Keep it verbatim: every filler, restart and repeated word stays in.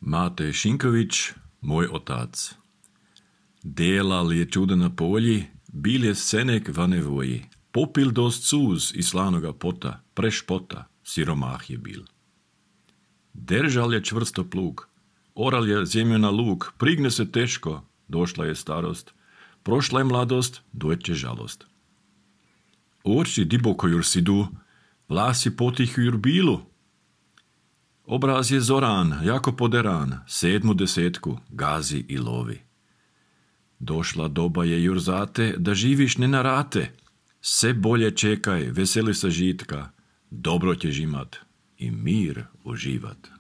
Mate Šinković, moj otac. Delal je čuda na polji, bil je senek v nevoji. Popil dost suz iz slanoga pota, prešpota, siromah je bil. Držal je čvrsto plug, oral je zemlju na luk, prigne se teško, došla je starost, prošla je mladost, dojeće žalost. Oči diboko jur sidu, vlasi potihu jur bilu. Obraz je zoran, jako poderan, sedmu desetku gazi i lovi. Došla doba je jur zate, da živiš ne na rate. Se bolje čekaj, veseli sa žitka, dobro ćeš imat i mir uživat.